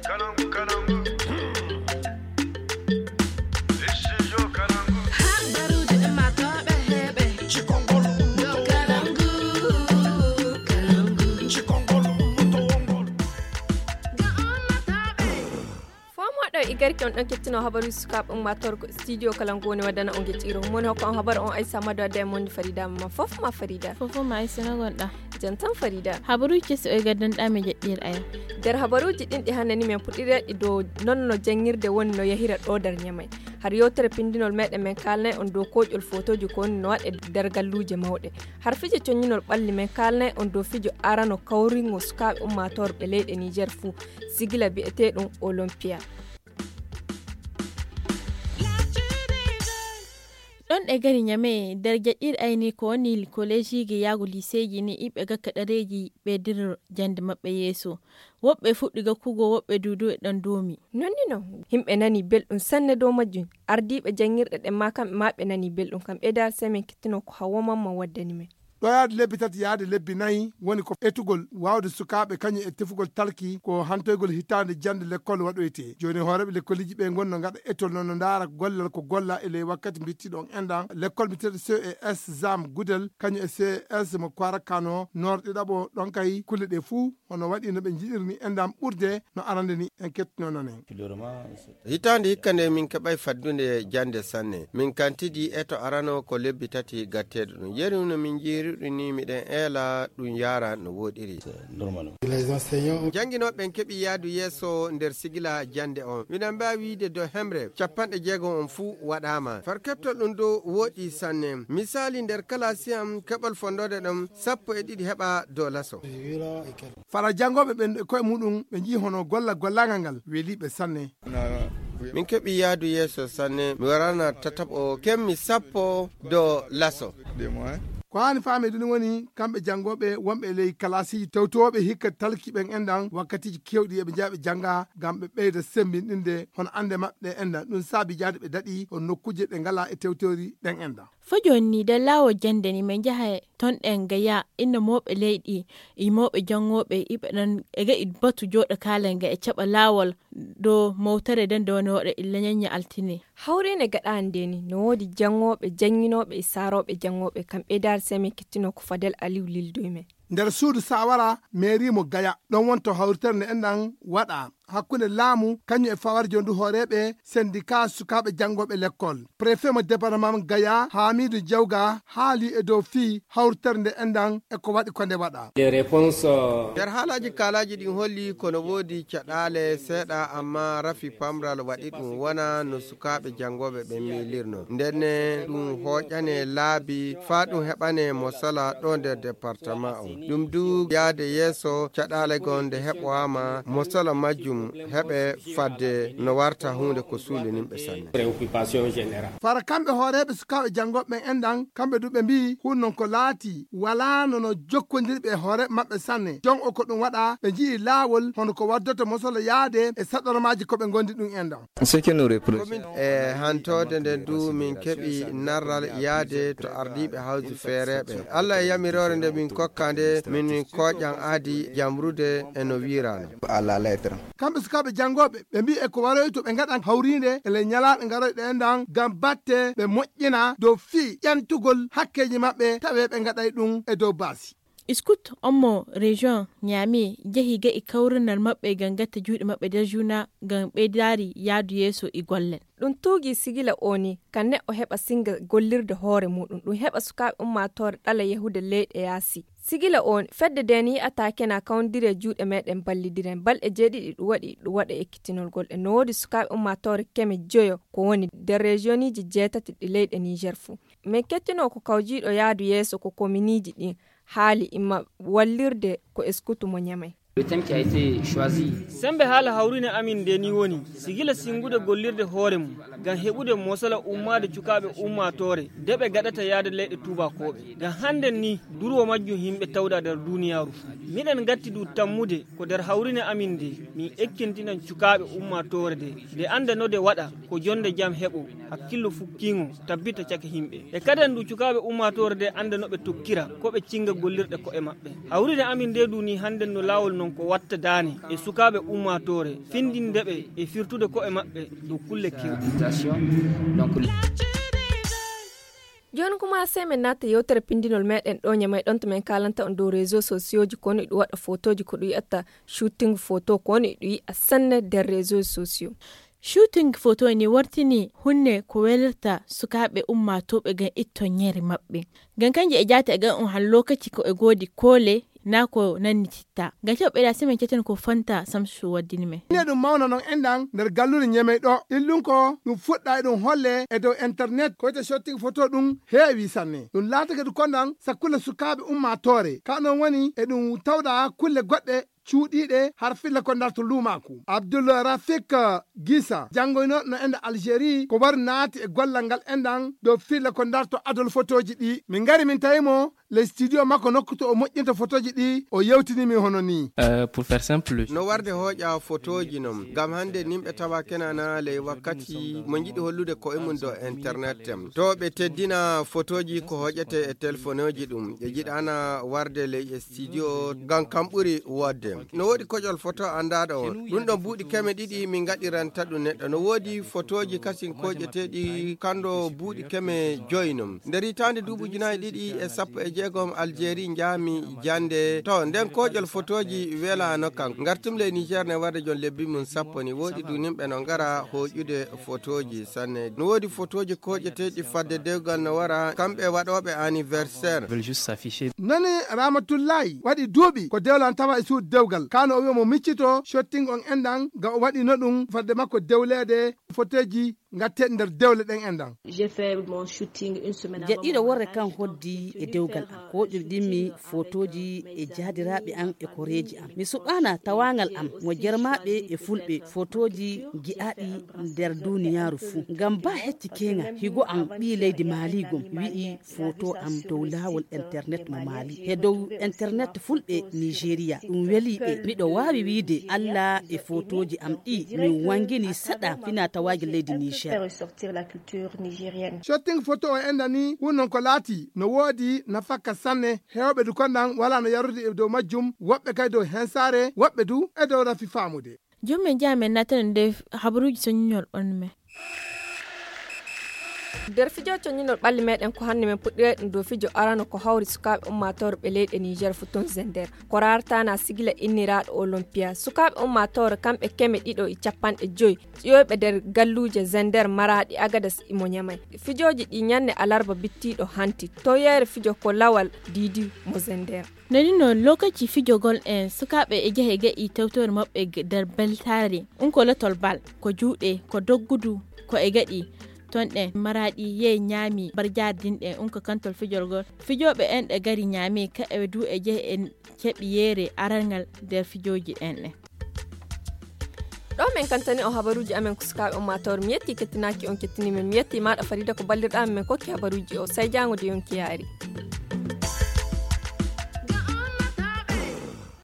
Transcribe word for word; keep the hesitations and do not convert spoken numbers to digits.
Kalangu, kalangu. Studio Kalangu. Habaruuji ɗi maa tooɓe heɓe. Cikongol ummoto wongol. Kalangu, kalangu. Cikongol ummoto wongol. Ga ummatooɓe. Fomoɗo e garki on ɗon kettino habaruuji sukaaɓe ummaatoore ko studio kalangu woni waddana on gecciro. Moni hokko on habar on Aissa Mado adda e mondi Farida ma fof ma Farida. Fof ma Aissa no gonɗa. Jantan Farida. Habaruuji kesi o e gaddanɗa mi jeɗɗir aya. Nder habaruuji ɗin ɗi hannani men puɗɗireɗi dow non no janngirde woni no yahira ɗo nder Ñamay. Har yewtere pindinol meɗen men kaalnay on dow koƴol fotooji ko woni no waɗe nder galluuje mawɗe. Har fijo coññinol ɓalli men kaalnay on dow fijo arano kawringo sukaaɓe ummaatoorɓe leyɗe Niger fuu, sigila bi'eteeɗum Olympia. Ɗon ɗe gari Ñamey nder jaɗɗir ayni ko woni kolejiiji yaago liseeji ni iɓe gakka ɗareeji ɓe diro jannde maɓɓe yeeso. Woɓɓe fuɗɗi gakkugo, woɓɓe duudu e ɗon doomi. Nonni non, yimɓe nani belɗum sanne dow majjum. Ardiiɓe janngirɗe ɗen ma kamɓe ma ɓe nani belɗum. Kam ɓeydaade sey min kettino ko Hawwa Mamman waddani men. Ɗo yaade lebbi tati yaade lebbi nayi woni ko etugol waawde sukaaɓe kañum e tefugol talki ko hantoygol hitaande jannde lekkol waɗoytee. Jooni hooreeɓe lekkoliji ɓe ngonno ngaɗa etol no no ndaara gollal ko golla e ley wakkati mbittiɗon enɗan lekkol mbiteeɗo C E S Zam Gudel kañum e C E S mo Kwarakano Noor ɗiɗaɓo ɗon kay kulle ɗe fuu hono waɗi no ɓe njiɗirni enɗan ɓurde no arande ni en kettino nonen. Hitaande hikka nde min keɓay faddunde jannde sanne. Min kantidi e to arano ko lebbi tati gatteeɗo ɗum. Yeru no min njiiruɗi ni miɗen eela ɗum yaara no woɗiri. Jannginooɓe ɓen keɓi yaadu yeeso nder sigila jannde on. Miɗen mbaawi wiide dow hemre capanɗe jeegom on fuu waɗaama. Far keɓtol ɗum dow woɗi sanne. Misaali nder kalaasi am keɓol fondoode ɗon sappo e ɗiɗi heɓa dow laso. Fara janngooɓe ɓen e koye muɗum ɓe njii hono golla gollaangal ngal weliiɓe sanne. Min keɓi yaadu yeeso sanne mi warana tataɓo kemmi sappo do laso. Ko haani faamede ni woni kamɓe janngooɓe wonɓe e ley kalaasiiji tewtooɓe hikka talki ɓen enɗan wakkatiiji keewɗi eɓe njaha ɓe jannga ngam ɓe ɓeyda semmbinɗinde hono annde maɓɓe ɗe enɗan ɗum saabi jaade ɓe daɗi on nokkuuje ɗe ngala e tewtoori ɗen enɗan. Fo jooni nii nder laawol jannde ni min njaha ton ɗen gaya inna mooɓe leyɗi e mooɓe janngooɓe iɓe ɗon e ga'i batu jooɗo kaalen ga e caɓa laawol dow mowtere nden nde woni waɗa illa ñañña altine. Hawriinde gaɗaande nde ni no woodi janngooɓe jannginooɓe e saarooɓe janngooɓe kam ɓeydaade sey min kettino ko Fadel Aliw lildoy men. Nder suudu saawara meeri mo gaya ɗon wonto hawritere nde enɗan waɗa hakkunde laamu kañum e fawarjo ndu hooreeɓe sendika sukaaɓe janngooɓe lekkol préfet mo département gaya haamidu jawga haali e dow fii hawritere nde enɗan e ko waɗi ko nde waɗa. Nder haalaaji kaalaaji ɗin holli kono woodi caɗaale seeɗa amma rafi pamral waɗi ɗum wona no sukaaɓe janngooɓe ɓen miilirno ndenne ɗum hooƴane laabi faa ɗum heɓane mo sala ɗo nder département on ɗum du yaade yeeso caɗaale goo nde heɓowaama mo sala majjum heɓe fadde no warta huunde ko suulininɓe sanne. Fara kamɓe hooreeɓe sukaaɓe janngooɓe ɓen enɗan kamɓe du ɓe mbi'i hun non ko laati walaano no jokkondirɓe e hooreeɓe maɓɓe sanne jon o ko ɗum waɗa ɓe nji'i laawol hono ko waddoto mosolo yaade e saɗormaaji ko ɓe ngondi ɗum enɗan. Komin e hantoode nden du min keɓi narral yaade to ardiiɓe hawji feereeɓe allah e yamiroore nde min kokka nde min kooƴan aadi jamrude e no wiirano. Kamɓe sukaaɓe janngooɓe ɓe mbi'i e ko waroyto ɓe ngaɗan hawriinde e ley ñalaaɗe ngaroyɗe enɗan ngam batte ɓe moƴƴina dow fii ƴantugol hakkeeji maɓɓe tawee ɓe ngaɗay ɗum e dow baasi. Scout on mo région Niamey jehi ga'i kawrinal maɓɓe ngam gatta juuɗe maɓɓe nder juuna ngam ɓeydaari yaadu yeeso e gollal. Ɗum tuugii sigila oo nii ka neɗɗo heɓa sinnga gollirde hoore muuɗum, ɗum heɓa sukaaɓe ummaatoore ɗala yahude leyɗe yaasi. Sigila oo nii fedde ndee nii yi'ataa kena kawndiri e juuɗe meeɗen ballidiren. Balɗe jeeɗiɗi ɗum waɗi ɗum waɗa ekkitinol ngol e no woodi sukaaɓe ummaatoore keme joyo ko woni nder regioniiji jeetati ɗi leyɗe Niger fuu. Min kettinoo ko kawjiiɗo yaadu yeeso ko kominiiji ɗin haali imma wallirde ko eskutu mo Ñamey. Sembe haala hawrine amin nde ni woni sigila singude gollirde hoore mum ngam heɓude mosala ummaade cukaaɓe ummaatoore de ɓe gaɗata yaade leyɗe tuubakooɓe. Ngam hannden ni durwo majjum yimɓe tawda nder duuniyaaru fuu. Miɗen ngatti du tammude ko nder hawrine amin nde min ekkintinan cukaaɓe ummaatoore de nde annda no de waɗa ko jonnde jam heɓo hakkillo fukkiingo tabbita caka yimɓe. E kaden du cukaaɓe ummaatoore de annda no ɓe tokkira ko ɓe cinnga gollirɗe ko'e maɓɓe. Hawrine amin nde du ni hannden no laawol Ɗum ko watta daane e sukaaɓe ummaatoore, findinde ɓe e firtude ko'e maɓɓe dow kulle kewɗe. Jooni kuma, sey men naata yewtere pindinol meɗen ɗo Ñamey, ɗon to men kaalanta on dow réseau sociauji, ko woni ɗum waɗa fotooji, ko ɗum yi'ata shooting foto, ko woni ɗum yi'a sanne nder réseau sociaux. Shooting foto ni wartini hunde ko welirta sukaaɓe ummaatooɓe ngam itto ñeeri maɓɓe. Ngam kanji e jaati e ngam on han lokaci ko e goodi koole na ko nannititta. Ngam keɓɓe ɗa semen ceten ko fanta Samsu waddini men. Ine ɗum mawna non enɗan nder gallure Ñamey ɗo. Illun ko ɗum fuɗɗa e ɗum holle e dow internet, ko wiyete shooting foto ɗum heewi sanne. Ɗum laatake ɗum kondan sakkulle sukaaɓe ummaatoore. Ka non woni e ɗum tawda kulle goɗɗe cuuɗiiɗe har filla ko ndarto luumaaku. Abdul Rafik Gisa, janngoyno no enda Algérie, ko wari naati e gollal ngal enɗan dow filla ko ndarto adol fotooji ɗi. Min ngari min tawi mo ley studio makko nokku to o moƴƴinta fotooji ɗi, o yewtini min hono ni. Euh, pour faire simple. No warde hooƴa fotooji non, ngam hannde nimɓe tawa kenana ley wakkati mo njiɗi hollude ko'e mum dow internet. To ɓe teddina fotooji ko hoƴete e telefoneeji ɗum, ɓe njiɗana warde ley e studio, ngam kam ɓuri woodde. No woodi koƴol foto anndaaɗo on. Ɗum ɗon buuɗi keme ɗiɗi min ngaɗiranta ɗum neɗɗo. No woodi fotooji kasin koƴeteeɗi kando buuɗi keme joyi non. Nder hitaande duuɓi ujunaaji ɗiɗi e sappo e jeegom Algérie njaami jannde. To, nden koƴol fotooji welaano kam. Ngartum ley Niger ne warde jon lebbi mum sappo ni. Woodi dunimɓe no ngara hoƴude fotooji sanne. No woodi fotooji koƴeteeɗi fadde dewgal no wara kamɓe waɗooɓe anniversaire. Veulent juste s'afficher. Nani Ramatullahi waɗi duuɓi ko dewlan tawa e suudu dewgal. Kano o wi'a mo miccito shooting on enɗan ga o waɗi no ɗum fadde makko dewleede foteeji ngatteeɗi nder dewle ɗen enɗan. J'ai fait mon shooting une semaine avant. Jeɗɗiɗo worre kan hoddi e dewgal am. Ko woɗɗiri ɗimmi fotooji e jaadiraaɓe am e koreeji am. Mi suɓaana tawaangal am mo jermaaɓe e fulɓe fotooji gi'aaɗi nder duniyaaru fuu. Ngam ba hecci keŋa higo am ɓii leydi Maali gom wi'i foto am dow laawol internet mo Maali. He dow internet fulɓe Nigeria. Ɗum weli ɓe. Miɗo waawi wiide Allah e fotooji am ɗi min wangini saɗa fina tawaaji leydi Niger. Shooting foto o enɗan ni wonnon ko laati no woodi nafaka sanne. Heewɓe du kondan wala no yarrude e dow majjum, woɓɓe kay dow hensaare, woɓɓe du e dow rafi faamude. Jooni men njaha men naatana nde habaruuji soñinol ɓalli men. Nder fijo coñinol ɓalli meɗen ko hannde men puɗɗirey ɗum dow fijo arano ko hawri sukaaɓe ummaatoore ɓe leyɗe Niger fuu ton Zender. Ko raartaana sigila inniraaɗo Olympia. Sukaaɓe ummaatoore kamɓe keme ɗiɗo e capanɗe joyi ƴiwoyɓe nder galluuje Zender, Maraaɗi, Agadas imo Ñamay. Fijooji ɗi ñannde alarba bittiiɗo hanti. Toyeere fijo ko Lawal Diidi mo Zender. Nde nii noon, lokaci fijogol en sukaaɓe e jehe ga'i tewtoore maɓɓe ge-, nder beltaare. Un ko lotol bal, ko juuɗe, ko doggudu, ko e gaɗi. Toon ɗen Maraaɗi yehi ñaami barjaari dinɗe, un ko kantol fijorgol. Fijooɓe en ɗe gari ñaami, ka e du e jehe en keɓi yeere arangal nder fijooji en ɗen. Ɗo men kantani o habaruuji amen ko sukaaɓe ummaatoore. Mi yetti kettinaaki on kettini men. Mi yetti maaɗa Farida ko ballirɗaa men, men kokki habaruuji o. Sey jaango de yonki yaari.